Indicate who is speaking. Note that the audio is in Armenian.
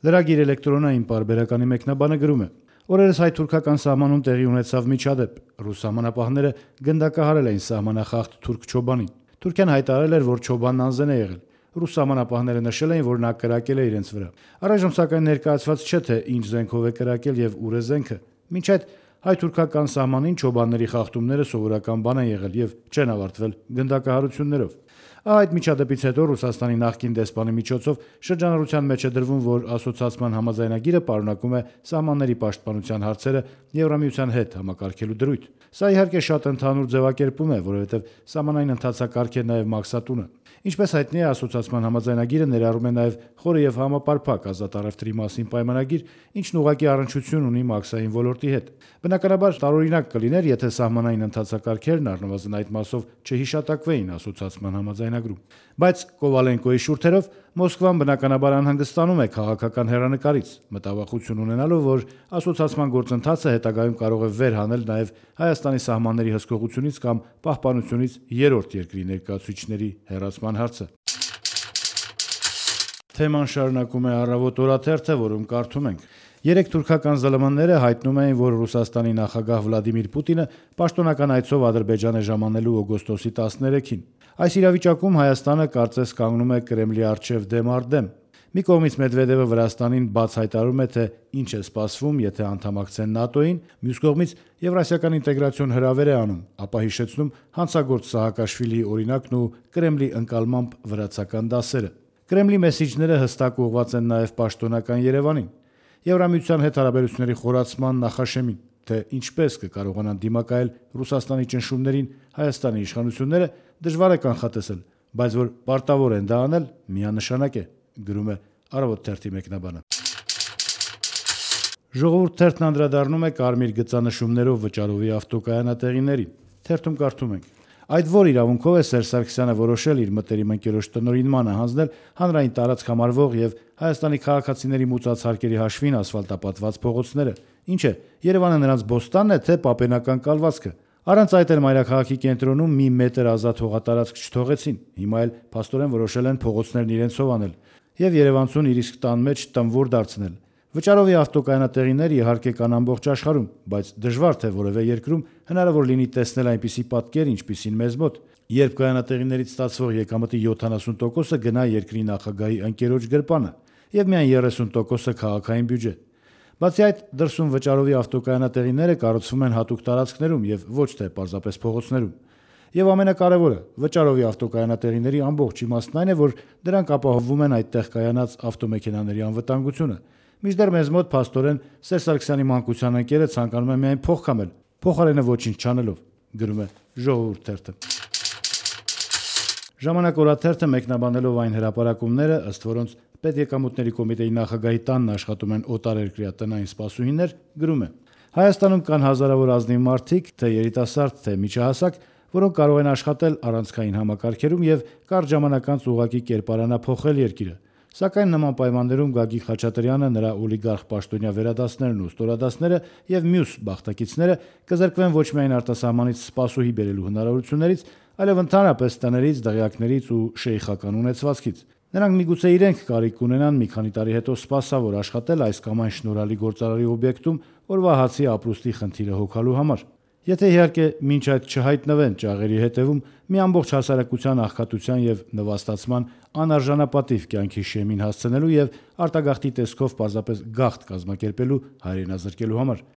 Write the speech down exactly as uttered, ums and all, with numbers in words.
Speaker 1: Լրագիր էլեկտրոնային պարբերականի մեկնաբանը գրում է. «Օրերս հայ-թուրքական սահմանում տեղի ունեցավ միջադեպ։ Ռուս սահմանապահները գնդակահարել էին սահմանախախտ թուրք չոբանին։ Թուրքիան հայտարարել էր, որ չոբանն անզեն է եղել։ Ռուս սահմանապահները նշել էին, որ նա կրակել է իրենց վրա։ Առայժմ սակայն ներկայացված չէ, թե ինչ զենքով է կրակել եւ ուր է զենքը։ Մինչ այդ հայ-թուրքական սահմանին չոբանների խախտումները սովորական բան են եղել եւ չեն ավարտվել գնդակահարություններով։ Այդ միջադեպից հետո Ռուսաստանի նախկին դեսպանի միջոցով շրջանառության մեջ է դրվում, որ ասոցիացիան համաձայնագիրը պարունակում է սահմանների պաշտպանության հարցերը Եվրամիության հետ համակարգելու դրույթ։ Սա իհարկե շատ ընդհանուր ձևակերպում է, որովհետև սահմանային ընթացակարգ է նաև մաքսատունը։ Ինչպես հայտնի է, ասոցիացիան համաձայնագիրը ներառում է նաև խորը եւ համապարփակ ազատ առևտրի մասին պայմանագիր, ինչն ուղղակի առնչություն ունի մաքսային ոլորտի հետ։ Բնականաբար տարօրինակ կլիներ, եթե սահմանային ընթացակարգերն առնվազն այդ մասով չհիշատակվեին ասոցիացիան համաձայնագրում։ Բայց Կովալենկոյի շուրթերով Մոսկվան բնականաբար անհանգստանում է քաղաքական հեռանկարից, մտավախություն ունենալով, որ ասոցիացիան գործընթացը հետագայում կարող է վեր հանել նաև Հայաստանի սահմանների հսկողությունից կամ պահպանությունից երրորդ երկրի ներկայացուցիչների հեռացման հարցը։ Թեման շարունակում է Առավոտ օրաթերթը, որում կարդում ենք. Երեք թուրքական ԶԼՄ-ները հայտնում էին, որ Ռուսաստանի նախագահ Վլադիմիր Պուտինը պաշտոնական այցով Ադրբեջան է ժամանելու օգոստոսի տասներեքին։ Այս իրավիճակում Հայաստանը կարծես կանգնում է Կրեմլի առջև դեմ առ դեմ։ Մի կողմից Մեդվեդևը Վրաստանին բաց հայտարարում է, թե ինչ է սպասվում, եթե անդամակցեն ՆԱՏՕ-ին, մյուս կողմից եվրասիական ինտեգրացիոն հրավեր է անում, ապա հիշեցնում հանցագործ Սահակաշվիլիի օրինակն ու Կրեմլի ընկալմամբ վրացական դասերը։ Կրեմլի մեսիջները հստակ ուղղված են նաև պաշտոնական Երևանին, Եվրամիության հետ հարաբերությունների խորացման նախաշեմին, թե ինչպես կկարողանան դիմակայել Ռուսաստանի ճնշումներին Հայաստանի իշխանությունները դժվար է կանխատեսել, բայց որ պարտավոր են դա անել, միանշանակ է, գրում է Առավոտ թերթի մեկնաբանը։ Ժողովուրդ թերթն անդրադառնում է կարմիր գծանշումներով վճարովի ավտոկայանատեղիներին։ Թերթում կարդում ենք. Այդ որ իրավունքով է Սերժ Սարգսյանը որոշել իր մտերիմ ընկերոջ տնօրինմանը հանձնել հանրային տարածք համարվող եւ Հայաստանի քաղաքացիների մուծած հարկերի հաշվին ասֆալտապատված փողոցները։ Ինչ է, Երևանը նրանց բոստանն է, թե պապենական կալվածքը։ Առանց այդ էլ մայրաքաղաքի կենտրոնում մի մետր ազատ հողատարածք չթողեցին։ Հիմա էլ փաստորեն որոշել են փողոցներն իրենցով անել եւ Երևանցուն իր իսկ տան մեջ տմվոր դարձնել։ Վճարովի ավտոկայանատեղիներ իհարկե կան ամբողջ աշխարհում, բայց դժվար թե որևէ երկրում հնարավոր լինի տեսնել այնպիսի պատկեր, ինչպիսին մեզ մոտ, երբ կայանատեղիներից ստացվող եկամտի յոթանասուն տոկոսը գնա երկրի նախագահի ընկերոջ գրպանը եւ միայն երեսուն տոկոսը քաղաքային բյուջե։ Բացի այդ, դրսում վճարովի ավտոկայանատեղիները կառուցվում են հատուկ տարածքներում եւ ոչ թե պարզապես փողոցներում։ Եվ ամենակարևորը, վճարովի ավտոկայանատեղիների ամբողջ իմաստն այն է, որ դրանք ապահովում են այդտեղ կայանած ավտոմեքենաների անվտանգությունը։ Մինչդեռ մեզ մոտ փաստորեն Սերժ Սարգսյանի մանկության ընկերը ցանկանում է միայն փող քամել, փոխարենը ոչինչ չանելով, գրում է Ժողովուրդ թերթը։ Ժամանակ օրաթերթը մեկնաբանելով այն հրապարակումները, ըստ որոնց Պետեկամուտների կոմիտեի նախագահի տանն աշխատում են օտարերկրյա տնային սպասուհիներ, գրում է. Հայաստանում կան հազարավոր ազնիվ մարդիկ, թե երիտասարդ, թե միջահասակ, որոնք կարող են աշխատել առանցքային համակարգերում եւ կարճ ժամանակ անց ուղղակի կերպարանափոխել երկիրը։ Սակայն նման պայմաններում Գագիկ Խաչատրյանը, նրա օլիգարխ պաշտոնյա վերադասներն ու ստորադասները եւ մյուս բախտակիցները կզրկվեն ոչ միայն արտասահմանից սպասուհի բերելու հնարավորություններից, այլև ընդհանրապես տներից, դղյակներից ու շեյխական ունեցվածքից։ Նրանք միգուցե իրենք կարիք կունենան մի քանի տարի հետո սպասավոր աշխատել այս կամ այն շնորհալի գործարարի օբյեկտում օրվա հացի ապրուստի խնդիրը հոգալու համար։ Եթե իհարկե մինչ այդ չհայտնվեն ճաղերի հետևում մի ամբողջ հասարակության աղքատության եւ նվաստացման անարժանապատիվ կյանքի շեմին հասցնելու եւ արտագաղթի տեսքով պարզապես գաղթ կազմակերպելու հայրենազրկելու համար։